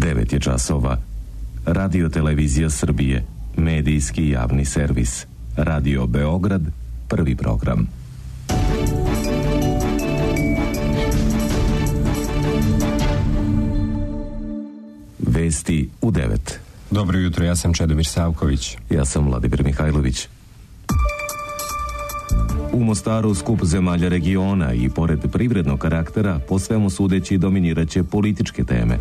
9 je časova. Radio Televizija Srbije, medijski javni servis. Radio Beograd, prvi program. Vesti u 9. Dobro jutro, ja sam Čedomir Savković. Ja sam Vladimir Mihajlović. U Mostaru skup zemalja regiona i pored privrednog karaktera po svemu sudeći dominiraće političke teme.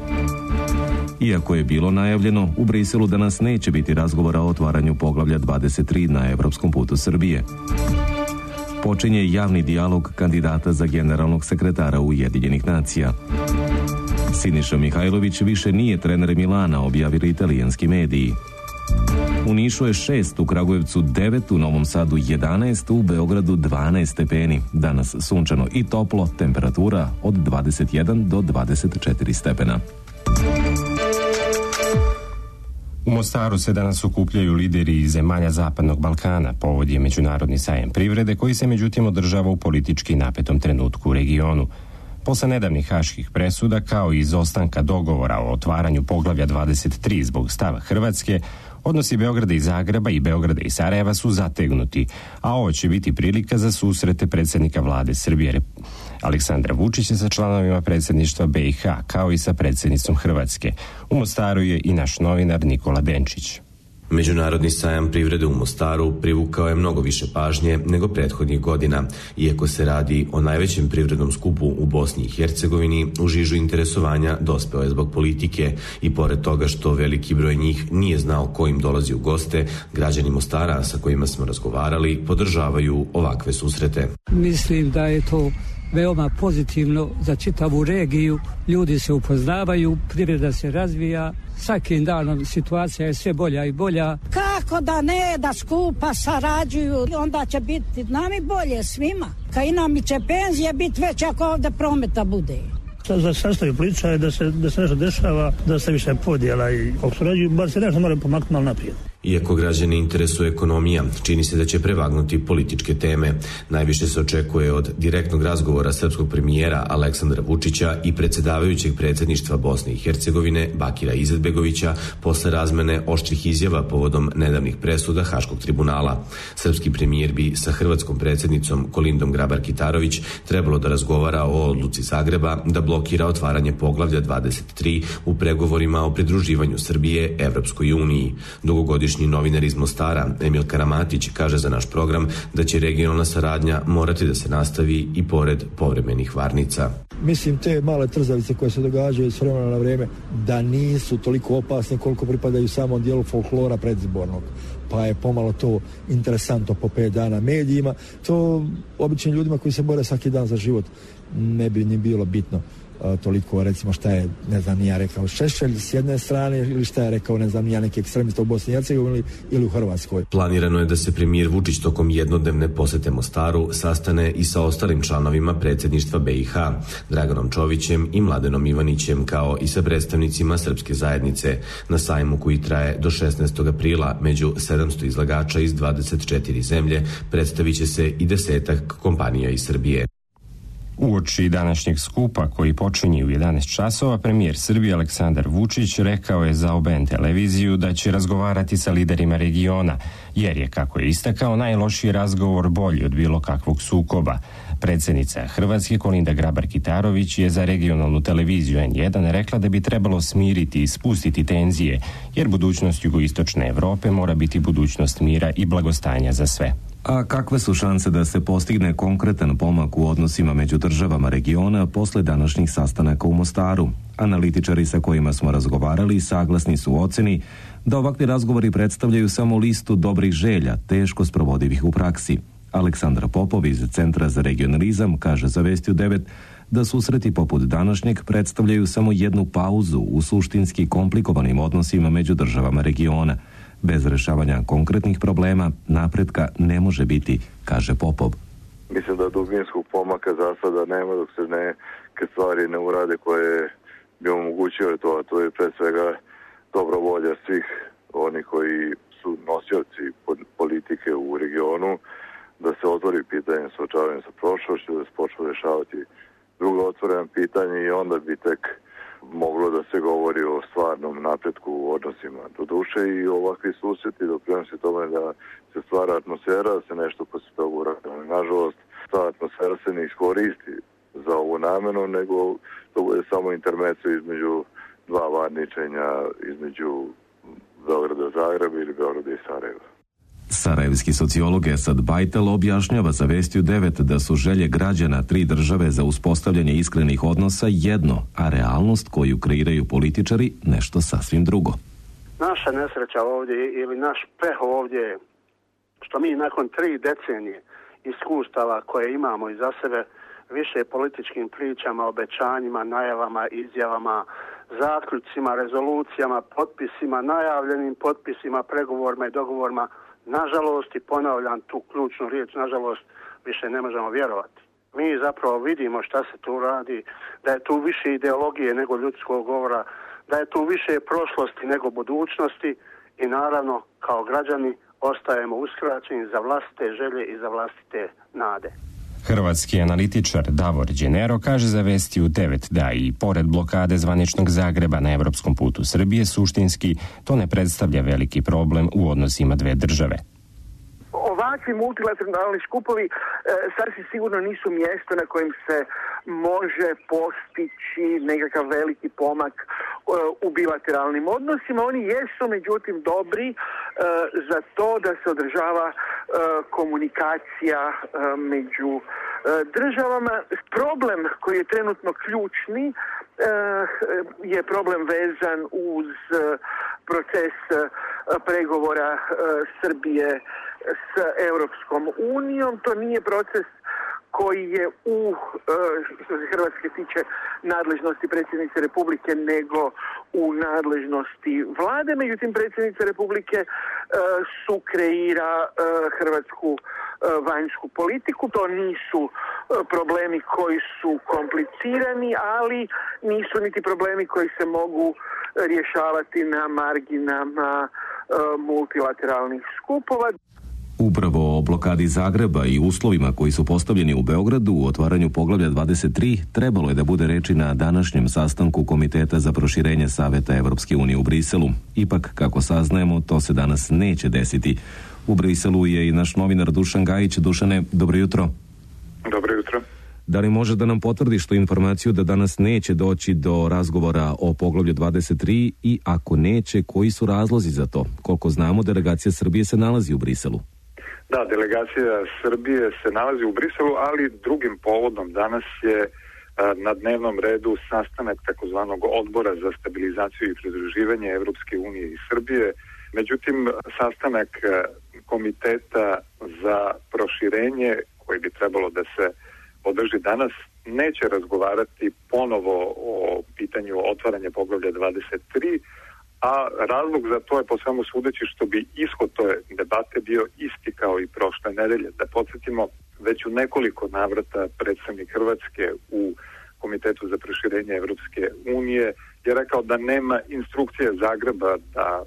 Iako je bilo najavljeno, u Briselu danas neće biti razgovora o otvaranju poglavlja 23 na evropskom putu Srbije. Počinje javni dijalog kandidata za generalnog sekretara Ujedinjenih nacija. Siniša Mihajlović više nije trener Milana, objavili italijanski mediji. U Nišu je 6, u Kragujevcu 9, u Novom Sadu 11, u Beogradu 12 stepeni. Danas sunčano i toplo, temperatura od 21 do 24 stepena. U Mostaru se danas okupljaju lideri iz zemalja Zapadnog Balkana. Povod je Međunarodni sajam privrede koji se međutim održava u politički napetom trenutku u regionu. Posle nedavnih haških presuda, kao i izostanka dogovora o otvaranju poglavlja 23 zbog stava Hrvatske, odnosi Beograda i Zagreba i Beograda i Sarajeva su zategnuti, a ovo će biti prilika za susrete predsjednika vlade Srbije Aleksandra Vučića sa članovima predsjedništva BiH, kao i sa predsjednicom Hrvatske. U Mostaru je i naš novinar Nikola Denčić. Međunarodni sajam privrede u Mostaru privukao je mnogo više pažnje nego prethodnih godina. Iako se radi o najvećem privrednom skupu u Bosni i Hercegovini, u žižu interesovanja dospeo je zbog politike i pored toga što veliki broj njih nije znao ko im dolazi u goste, građani Mostara sa kojima smo razgovarali podržavaju ovakve susrete. Mislim da je to veoma pozitivno za čitavu regiju, ljudi se upoznavaju, privreda se razvija, svakim danom situacija je sve bolja i bolja. Kako da ne, da skupa sarađuju, onda će biti nam i bolje svima. Kad i nam će penzije biti veće ako ovde prometa bude. Za sastav priča je da se nešto dešava, da se više podjela i ako surađuju, bar se nešto mora pomaknuti malo naprijed. Iako građane interesuje ekonomija, čini se da će prevagnuti političke teme. Najviše se očekuje od direktnog razgovora srpskog premijera Aleksandra Vučića i predsjedavajućeg predsjedništva Bosne i Hercegovine Bakira Izetbegovića posle razmene oštrih izjava povodom nedavnih presuda Haškog tribunala. Srpski premijer bi sa hrvatskom predsjednicom Kolindom Grabar-Kitarović trebalo da razgovara o odluci Zagreba da blokira otvaranje poglavlja 23 u pregovorima o pridruživanju Srbije Evropskoj uniji. Dugogodišnji novinar iz Mostara, Emil Karamatić, kaže za naš program da će regionalna saradnja morati da se nastavi i pored povremenih varnica. Mislim, te male trzavice koje se događaju s vremena na vrijeme da nisu toliko opasne koliko pripadaju samom dijelu folklora predizbornog. Pa je pomalo to interesantno po 5 dana medijima. To običnim ljudima koji se bore svaki dan za život ne bi ni bilo bitno toliko, recimo šta je, ne znam, ja rekao Šešelj s jedne strane ili šta je rekao, ne znam, ja neki ekstremista u Bosni i Hercegovini ili u Hrvatskoj. Planirano je da se premijer Vučić tokom jednodnevne posete Mostaru sastane i sa ostalim članovima predsjedništva BiH, Draganom Čovićem i Mladenom Ivanićem, kao i sa predstavnicima srpske zajednice. Na sajmu koji traje do 16. aprila među 700 izlagača iz 24 zemlje predstavit će se i 10 kompanija iz Srbije. Uoči današnjeg skupa koji počinje u 11 časova, premijer Srbije Aleksandar Vučić rekao je za OBN televiziju da će razgovarati sa liderima regiona, jer je, kako je istakao, najlošiji razgovor bolji od bilo kakvog sukoba. Predsjednica Hrvatske Kolinda Grabar-Kitarović je za regionalnu televiziju N1 rekla da bi trebalo smiriti i spustiti tenzije, jer budućnost jugoistočne Evrope mora biti budućnost mira i blagostanja za sve. A kakve su šanse da se postigne konkretan pomak u odnosima među državama regiona posle današnjih sastanaka u Mostaru? Analitičari sa kojima smo razgovarali saglasni su u oceni da ovakvi razgovori predstavljaju samo listu dobrih želja, teško sprovodivih u praksi. Aleksandra Popov iz Centra za regionalizam kaže za Vesti u 9 da susreti poput današnjeg predstavljaju samo jednu pauzu u suštinski komplikovanim odnosima među državama regiona. Bez rešavanja konkretnih problema napretka ne može biti, kaže Popov. Mislim da dubinskog pomaka za sada nema dok se neke stvari ne urade koje bi omogućile to, a to je pre svega dobra volja svih oni koji su nosioci politike u regionu, da se otvori pitanje suočavanja sa prošlošću, da se počne rešavati druga otvorena pitanja i onda bi tek moglo da se govori o stvarnom napretku u odnosima. Doduše i ovakvi susreti doprinose tome da se stvara atmosfera, da se nešto posle toga uradi. Nažalost, ta atmosfera se ne iskoristi za ovu namenu, nego to bude samo intermeco između dva varničenja, između Beograda Zagreba ili Beograda i Sarajeva. Sarajevski sociolog Esad Bajtel objašnjava za Vestiju 9 da su želje građana tri države za uspostavljanje iskrenih odnosa jedno, a realnost koju kreiraju političari nešto sasvim drugo. Naša nesreća ovdje ili naš peh ovdje što mi nakon 3 decenije iskustava koje imamo iza sebe više političkim pričama, obećanjima, najavama, izjavama, zaključcima, rezolucijama, potpisima, najavljenim potpisima, pregovorima i dogovorima, nažalost, i ponavljam tu ključnu riječ, nažalost, više ne možemo vjerovati. Mi zapravo vidimo šta se tu radi, da je tu više ideologije nego ljudskog govora, da je tu više prošlosti nego budućnosti i naravno kao građani ostajemo uskraćeni za vlastite želje i za vlastite nade. Hrvatski analitičar Davor Đenero kaže za Vestiju 9 da i pored blokade zvaničnog Zagreba na evropskom putu Srbije suštinski to ne predstavlja veliki problem u odnosima dve države. Ovakvi multilateralni skupovi sasvim sigurno nisu mjesto na kojem se može postići nekakav veliki pomak u bilateralnim odnosima. Oni jesu međutim dobri za to da se održava komunikacija među državama. Problem koji je trenutno ključni je problem vezan uz proces pregovora Srbije s Europskom unijom. To nije proces koji je što se Hrvatske tiče nadležnosti predsjednice Republike nego u nadležnosti vlade. Međutim, predsjednica Republike sukreira hrvatsku vanjsku politiku. To nisu problemi koji su komplicirani, ali nisu niti problemi koji se mogu rješavati na marginama multilateralnih skupova. Upravo o blokadi Zagreba i uslovima koji su postavljeni u Beogradu u otvaranju poglavlja 23 trebalo je da bude reči na današnjem sastanku Komiteta za proširenje Saveta Evropske unije u Briselu. Ipak, kako saznajemo, to se danas neće desiti. U Briselu je i naš novinar Dušan Gajić. Dušane, dobro jutro. Dobro jutro. Da li može da nam potvrdiš tu informaciju da danas neće doći do razgovora o poglavlju 23 i ako neće, koji su razlozi za to? Koliko znamo, delegacija Srbije se nalazi u Briselu. Da, delegacija Srbije se nalazi u Briselu, ali drugim povodom danas je na dnevnom redu sastanak takozvanog odbora za stabilizaciju i pridruživanje Evropske unije i Srbije. Međutim, sastanak komiteta za proširenje, koji bi trebalo da se održi danas, neće razgovarati ponovo o pitanju otvaranja poglavlja 23, a razlog za to je po svemu sudeći što bi ishod toj debate bio isti kao i prošle nedelje. Da podsjetimo, već u nekoliko navrata predstavnik Hrvatske u Komitetu za proširenje Evropske unije je rekao da nema instrukcije Zagreba da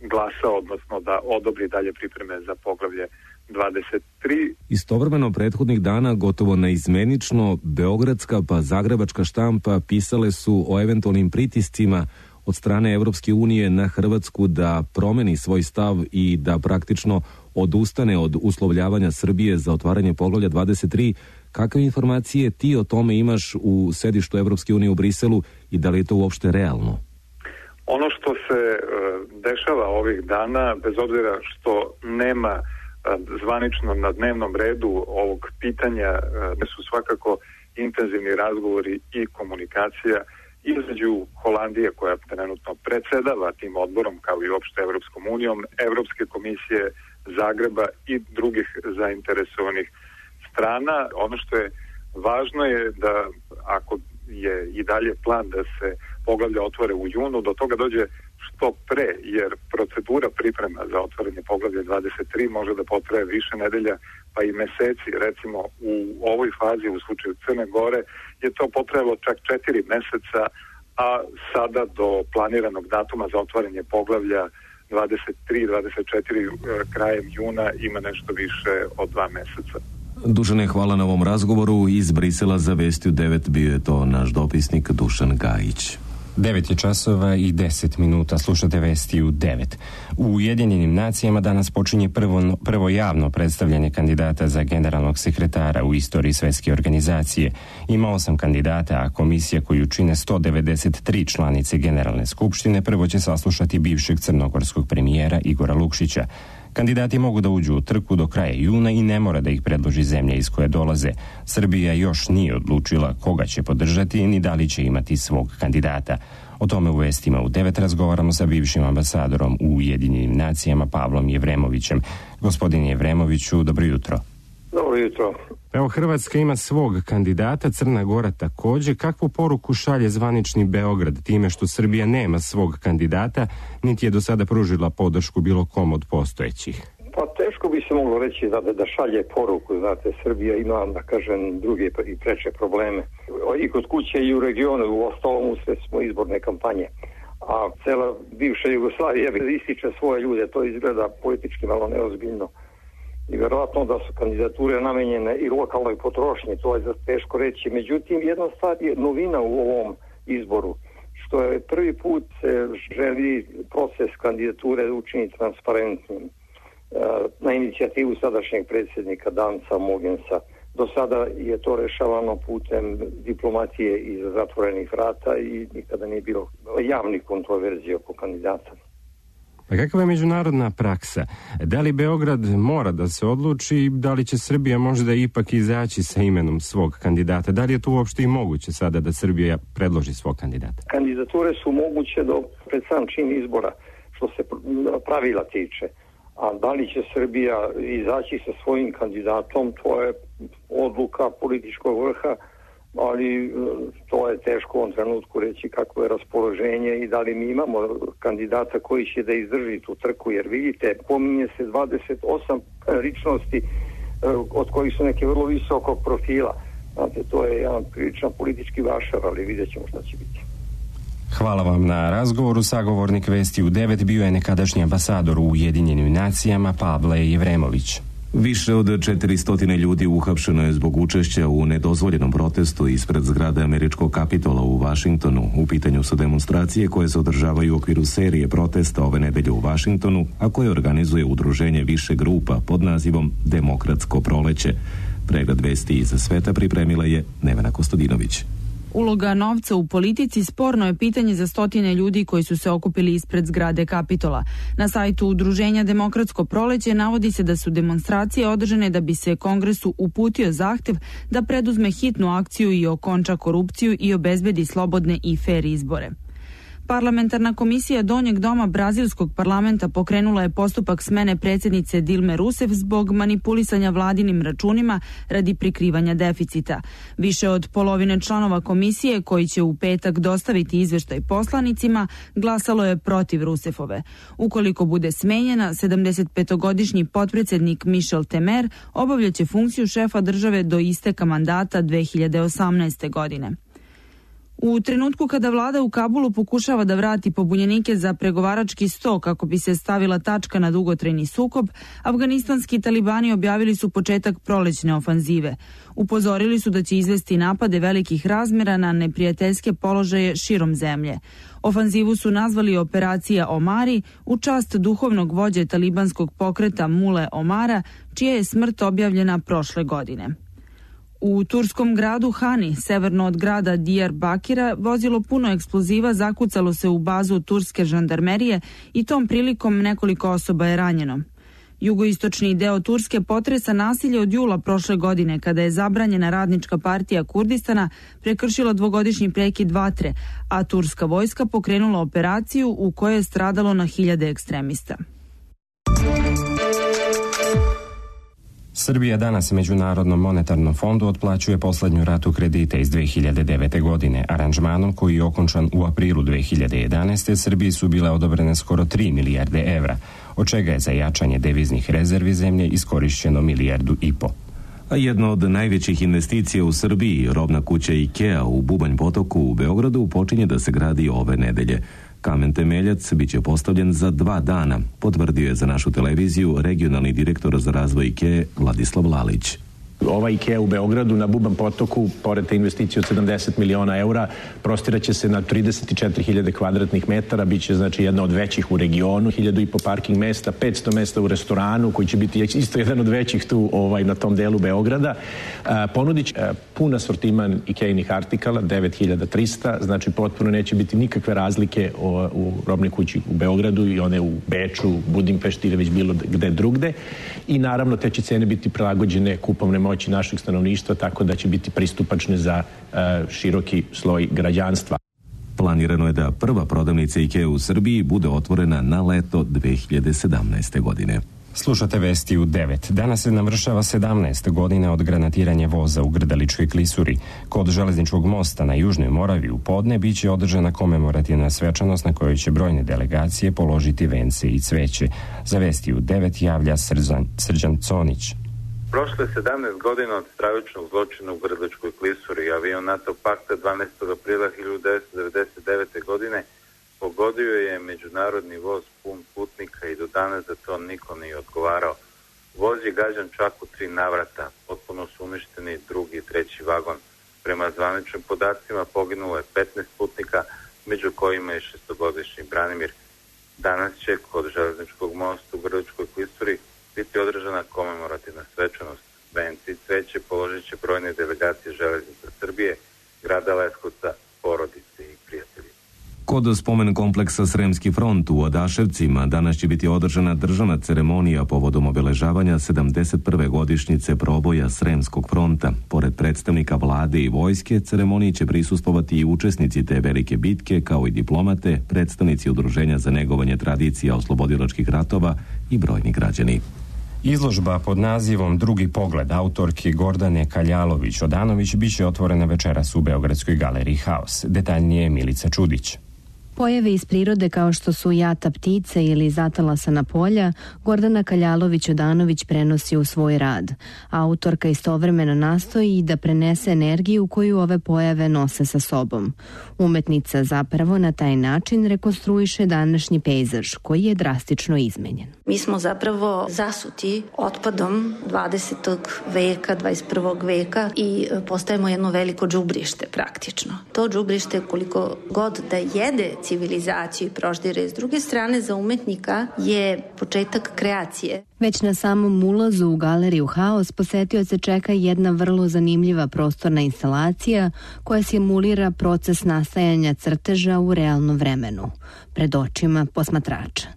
glasa, odnosno da odobri dalje pripreme za poglavlje 23. Istovremeno prethodnih dana gotovo neizmenično beogradska pa zagrebačka štampa pisale su o eventualnim pritiscima od strane Evropske unije na Hrvatsku da promeni svoj stav i da praktično odustane od uslovljavanja Srbije za otvaranje poglavlja 23. Kakve informacije ti o tome imaš u sedištu Evropske unije u Briselu i da li je to uopšte realno? Ono što se dešava ovih dana, bez obzira što nema zvanično na dnevnom redu ovog pitanja, da su svakako intenzivni razgovori i komunikacija između Holandije, koja trenutno predsjedava tim odborom, kao i uopšte Evropskom unijom, Evropske komisije, Zagreba i drugih zainteresovanih strana. Ono što je važno je da ako je i dalje plan da se poglavlja otvore u junu, do toga dođe što pre, jer procedura priprema za otvaranje poglavlja 23 može da potraje više nedelja pa i meseci. Recimo u ovoj fazi u slučaju Crne Gore je to potrajalo čak 4 meseca, a sada do planiranog datuma za otvaranje poglavlja 23-24 krajem juna ima nešto više od 2 meseca. Dušane, hvala na ovom razgovoru. Iz Brisela za Vestiju 9 bio je to naš dopisnik Dušan Gajić. 9 je časova i 10 minuta, slušate vesti u 9. U Ujedinjenim nacijama danas počinje prvo javno predstavljanje kandidata za generalnog sekretara u istoriji svjetske organizacije. Ima 8 kandidata, a komisija koju čine 193 članice Generalne skupštine prvo će saslušati bivšeg crnogorskog premijera Igora Lukšića. Kandidati mogu da uđu u trku do kraja juna i ne mora da ih predloži zemlja iz koje dolaze. Srbija još nije odlučila koga će podržati ni da li će imati svog kandidata. O tome u vestima u 9 razgovaramo sa bivšim ambasadorom u Ujedinjenim nacijama Pavlom Jevremovićem. Gospodine Jevremoviću, dobro jutro. Dobro jutro. Evo, Hrvatska ima svog kandidata, Crna Gora također. Kakvu poruku šalje zvanični Beograd time što Srbija nema svog kandidata, niti je do sada pružila podršku bilo kom od postojećih? Pa teško bi se moglo reći da šalje poruku. Znate, Srbija ima, da kažem, druge i preče probleme. I kod kuće i u regionu, u ostalom usred smo izborne kampanje. A cela bivša Jugoslavija ističe svoje ljude, to izgleda politički malo neozbiljno. I vjerojatno da su kandidature namenjene i lokalnoj potrošnji, to je teško reći. Međutim, jedna stvar je novina u ovom izboru, što je prvi put se želi proces kandidature učiniti transparentnim na inicijativu sadašnjeg predsjednika Danca Mogensa. Do sada je to rešavano putem diplomatije iza zatvorenih vrata i nikada nije bilo javnih kontroverzija oko kandidata. Pa kakva je međunarodna praksa? Da li Beograd mora da se odluči i da li će Srbija možda ipak izaći sa imenom svog kandidata? Da li je to uopšte i moguće sada da Srbija predloži svog kandidata? Kandidature su moguće pred sam čin izbora, što se pravila tiče. A da li će Srbija izaći sa svojim kandidatom, to je odluka političkog vrha, ali to je teško u ovom trenutku reći kako je raspoloženje i da li mi imamo kandidata koji će da izdrži tu trku, jer vidite, pominje se 28 ličnosti od kojih su neke vrlo visokog profila. Znate, to je jedan priličan politički vašar, ali vidjet ćemo šta će biti. Hvala vam na razgovoru. Sagovornik vesti u 9 bio je nekadašnji ambasador u Ujedinjenim nacijama Pavle Jevremović. Više od 400 ljudi uhapšeno je zbog učešća u nedozvoljenom protestu ispred zgrade američkog Kapitola u Vašingtonu. U pitanju su demonstracije koje se održavaju u okviru serije protesta ove nedelje u Vašingtonu, a koje organizuje udruženje više grupa pod nazivom Demokratsko proleće. Pregled vesti iz sveta pripremila je Nevena Kostadinović. Uloga novca u politici sporno je pitanje za stotine ljudi koji su se okupili ispred zgrade Kapitola. Na sajtu udruženja Demokratsko proleće navodi se da su demonstracije održane da bi se Kongresu uputio zahtev da preduzme hitnu akciju i okonča korupciju i obezbedi slobodne i fer izbore. Parlamentarna komisija Donjeg doma Brazilskog parlamenta pokrenula je postupak smene predsjednice Dilme Rousseff zbog manipulisanja vladinim računima radi prikrivanja deficita. Više od polovine članova komisije, koji će u petak dostaviti izveštaj poslanicima, glasalo je protiv Rousseffove. Ukoliko bude smenjena, 75-godišnji potpredsjednik Michel Temer obavljaće funkciju šefa države do isteka mandata 2018. godine. U trenutku kada vlada u Kabulu pokušava da vrati pobunjenike za pregovarački sto kako bi se stavila tačka na dugotrajni sukob, afganistanski talibani objavili su početak prolećne ofanzive. Upozorili su da će izvesti napade velikih razmjera na neprijateljske položaje širom zemlje. Ofanzivu su nazvali operacija Omari u čast duhovnog vođe talibanskog pokreta Mule Omara, čija je smrt objavljena prošle godine. U turskom gradu Hani, severno od grada Diyarbakira, vozilo puno eksploziva zakucalo se u bazu turske žandarmerije i tom prilikom nekoliko osoba je ranjeno. Jugoistočni deo Turske potresa nasilje od jula prošle godine, kada je zabranjena radnička partija Kurdistana prekršila dvogodišnji prekid vatre, a turska vojska pokrenula operaciju u kojoj je stradalo na hiljade ekstremista. Srbija danas Međunarodnom monetarnom fondu otplaćuje posljednju ratu kredita iz 2009. godine. Aranžmanom koji je okončan u aprilu 2011. Srbiji su bile odobrene skoro 3 milijarde evra, od čega je za jačanje deviznih rezervi zemlje iskorišćeno 1,5 milijardu. A jedna od najvećih investicija u Srbiji, robna kuća IKEA u Bubanj Potoku u Beogradu, počinje da se gradi ove nedelje. Kamen temeljac biće postavljen za 2 dana, potvrdio je za našu televiziju regionalni direktor za razvoj IKEA Vladislav Lalić. Ova IKEA u Beogradu na Buban potoku, pored te investicije od 70 miliona eura, prostiraće se na 34.000 kvadratnih metara, bit će znači jedna od većih u regionu, 1.500 parking mesta, 500 mesta u restoranu, koji će biti isto jedan od većih tu na tom delu Beograda. Ponudit će pun asortiman IKEA-inih artikala, 9.300, znači potpuno neće biti nikakve razlike u robnoj kući u Beogradu i one u Beču, Budimpešti ili već bilo gde drugde. I naravno te će cene biti prilagođene kupovne moći našeg stanovništva, tako da će biti pristupačne za široki sloj građanstva. Planirano je da prva prodavnica IKEA u Srbiji bude otvorena na leto 2017. godine. Slušate vesti u 9. Danas se navršava 17 godina od granatiranja voza u Grdeličkoj klisuri. Kod železničkog mosta na Južnoj Moravi u podne biće održana komemorativna svečanost na kojoj će brojne delegacije položiti vence i cveće. Za vesti u 9 javlja Srđan Conić. Prošle 17 godina od stravičnog zločina u Grdeličkoj klisuri. Avion NATO pakta 12. aprila 1999. godine pogodio je međunarodni voz pun putnika i do danas za to niko nije odgovarao. Voz je gađan čak u 3 navrata, potpuno su uništeni drugi i treći vagon. Prema zvaničnim podacima poginulo je 15 putnika, među kojima je 6-godišnji Branimir. Danas će kod železničkog mosta u Grdeličkoj klisuri biti održana komemorativna svečanost. Vence i cveće položit će brojne delegacije Železnica Srbije, grada Leskovca, porodice i prijatelji. Kod spomen kompleksa Sremski front u Odaševcima danas će biti održana državna ceremonija povodom obeležavanja 71. godišnjice proboja Sremskog fronta. Pored predstavnika vlade i vojske, ceremoniji će prisustvovati i učesnici te velike bitke, kao i diplomate, predstavnici udruženja za negovanje tradicija oslobodilačkih ratova i brojni građani. Izložba pod nazivom Drugi pogled autorke Gordane Kaljalović-Odanović biće otvorena večeras u Beogradskoj galeriji Haos. Detaljnije Milica Čudić. Pojave iz prirode kao što su jata ptice ili zatalasana polja, Gordana Kaljalović-Odanović prenosi u svoj rad. Autorka istovremeno nastoji i da prenese energiju koju ove pojave nose sa sobom. Umetnica zapravo na taj način rekonstruiše današnji pejzaž koji je drastično izmenjen. Mi smo zapravo zasuti otpadom 20. veka, 21. veka i postajemo jedno veliko džubrište praktično. To džubrište koliko god da jede civilizaciju i proždire. S druge strane, za umetnika je početak kreacije. Već na samom ulazu u galeriju Haos posetioce čeka jedna vrlo zanimljiva prostorna instalacija koja simulira proces nastajanja crteža u realnom vremenu, pred očima posmatrača.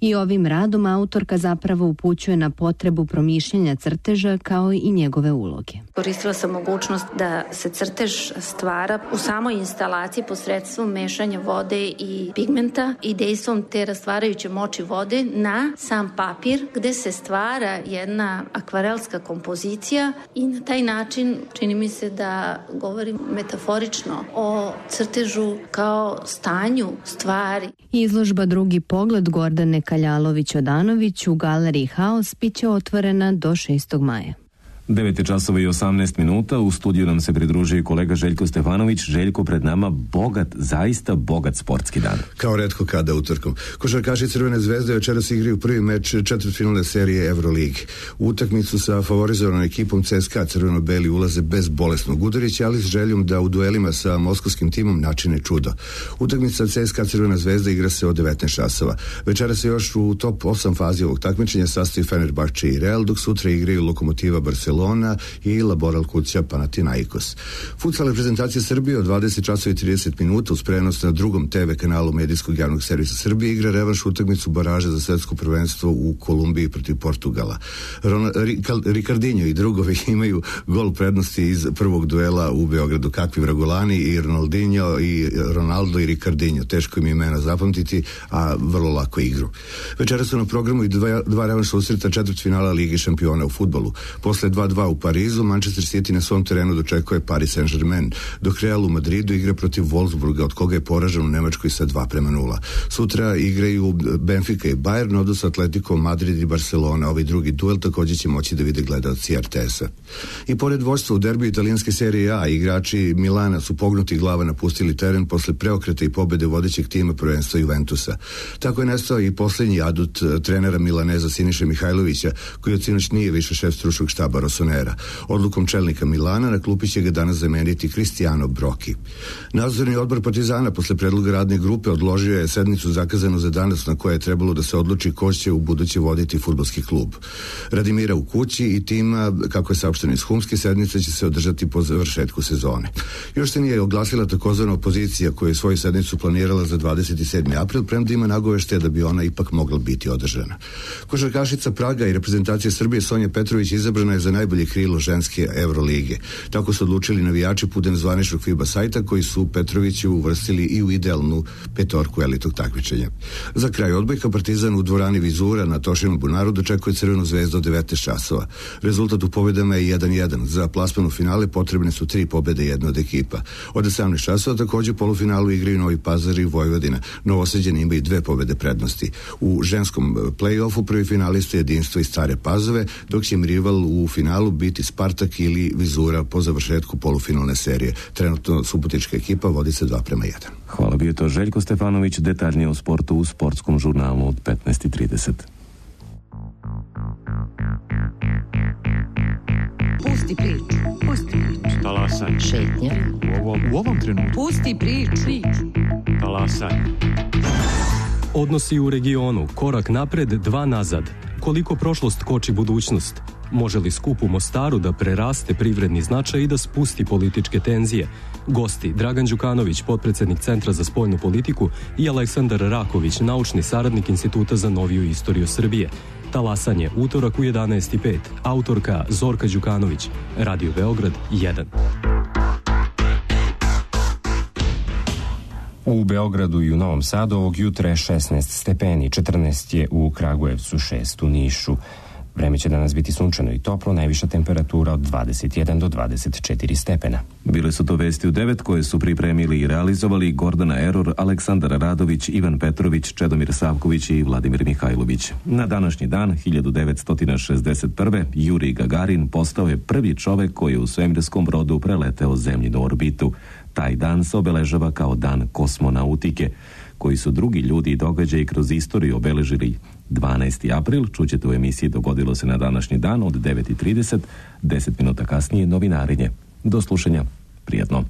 I ovim radom autorka zapravo upućuje na potrebu promišljanja crteža kao i njegove uloge. Koristila sam mogućnost da se crtež stvara u samoj instalaciji posredstvom mešanja vode i pigmenta i dejstvom te rastvarajuće moći vode na sam papir gde se stvara jedna akvarelska kompozicija i na taj način čini mi se da govorim metaforično o crtežu kao stanju stvari. Izložba Drugi pogled Gordane Kaljalović-Odanović u galeriji Haos biće otvorena do 6. maja. 9:18 u studiju nam se pridružuje kolega Željko Stefanović. Željko, pred nama zaista bogat sportski dan. Kao retko kada utorkom. Košarkaši Crvene zvezde večeras igraju prvi meč četvrtfinalne serije Euroligi. U utakmicu sa favorizovanom ekipom CSKA crveno-beli ulaze bez bolesnog Udarića, ali s željom da u duelima sa moskovskim timom načine čudo. Utakmica CSKA Crvena zvezda igra se od 19 časova. Večeras se još u top 8 fazi ovog takmičenja sastoji Fenerbahče i Real, dok sutra igraju Lokomotiva Barcelona i Laboral Kuća Panathinaikos. Futsal reprezentacija Srbije od 20:30 uz prenos na drugom TV kanalu medijskog javnog servisa Srbije igra revanš utakmicu baraže za svetsko prvenstvo u Kolumbiji protiv Portugala. Ricardinho i drugovi imaju gol prednosti iz prvog duela u Beogradu. Kakvi vragolani i Ronaldinho i Ronaldo i Ricardinho. Teško im je imena zapamtiti, a vrlo lako igru. Večera su na programu i dva revanš susreta četvrtfinala Lige šampiona u fudbalu. Posle 2-2 u Parizu, Manchester City na svom terenu dočekuje Paris Saint-Germain, dok Real u Madridu igra protiv Wolfsburga, od koga je poražen u Nemačkoj sa 2-0. Sutra igraju Benfica i Bayern, odnosno Atletico Madrid i Barcelona. Ovaj drugi duel također će moći da vide gledaoci RTS-a. I pored vođstva u derbiju italijanske serije A, igrači Milana su pognuti glava napustili teren posle preokreta i pobede vodećeg tima prvenstva Juventusa. Tako je nestao i posljednji adut trenera Milaneza Siniše Mihajlovića, koji od sinoć nije više šef stručnog štaba Rossonera. Odlukom čelnika Milana na klupi će ga danas zameniti Cristiano Brocchi. Nadzorni odbor Partizana posle predloga radne grupe odložio je sednicu zakazanu za danas na kojoj je trebalo da se odluči ko će u buduće voditi fudbalski klub. Radimira u kući i tima, kako je saopšteno iz Humske, sednice će se održati po završetku sezone. Još se nije oglasila takozvana opozicija koja je svoju sednicu planirala za 27. april, premda ima nagoveštaja da bi ona ipak mogla biti održana. Košarkašica Praga i reprezentacija Srbije Sonja Petrović izabrana je za najbolje krilo ženske Evrolige. Tako su odlučili navijači putem zvaničnog FIBA sajta koji su Petroviću uvrstili i u idealnu petorku elitnog takmičenja. Za kraj odbojka Partizan u dvorani Vizura na Tošinom bunaru dočekuje Crvenu zvezdu od 19 časova. Rezultat u pobedama je 1-1. Za plasman u finale potrebne su 3 pobede jedne od ekipa. Od 18 časova takođe u polufinalu igraju Novi Pazar i Vojvodina. Novosađani imaju 2 pobede prednosti. U ženskom play-offu prvi finalista je Jedinstvo iz Stare Pazove, dok će im rival u finalu biti Spartak ili Vizura po završetku polufinalne serije. Trenutno subotička ekipa vodi se 2:1. Hvala, bio to Željko Stefanović, detaljnije o sportu u sportskom žurnalu od 15:30. Pusti priču, pusti priču. Talasaj. Šetnja. U ovom trenutku. Pusti priču. Talasaj. Odnosi u regionu, korak napred, 2 nazad. Koliko prošlost koči budućnost? Može li skup u Mostaru da preraste privredni značaj i da spusti političke tenzije? Gosti Dragan Đukanović, potpredsednik Centra za spoljnu politiku, i Aleksandar Raković, naučni saradnik Instituta za noviju istoriju Srbije. Talasanje, utorak u 11:05. Autorka Zorka Đukanović. Radio Beograd 1. U Beogradu i u Novom Sadu ovog jutra je 16 stepeni, 14 je u Kragujevcu, 6 u Nišu. Vreme će danas biti sunčano i toplo, najviša temperatura od 21 do 24 stepena. Bile su to vesti u 9 koje su pripremili i realizovali Gordana Eror, Aleksandar Radović, Ivan Petrović, Čedomir Savković i Vladimir Mihajlović. Na današnji dan, 1961. Jurij Gagarin postao je prvi čovek koji je u svemirskom brodu preleteo zemljinu orbitu. Taj dan se obeležava kao dan kosmonautike, koji su drugi ljudi i događaji kroz istoriju obeležili. 12. april, čućete u emisiji Dogodilo se na današnji dan od 9:30, 10 minuta kasnije novinarenje. Do slušanja, prijatno.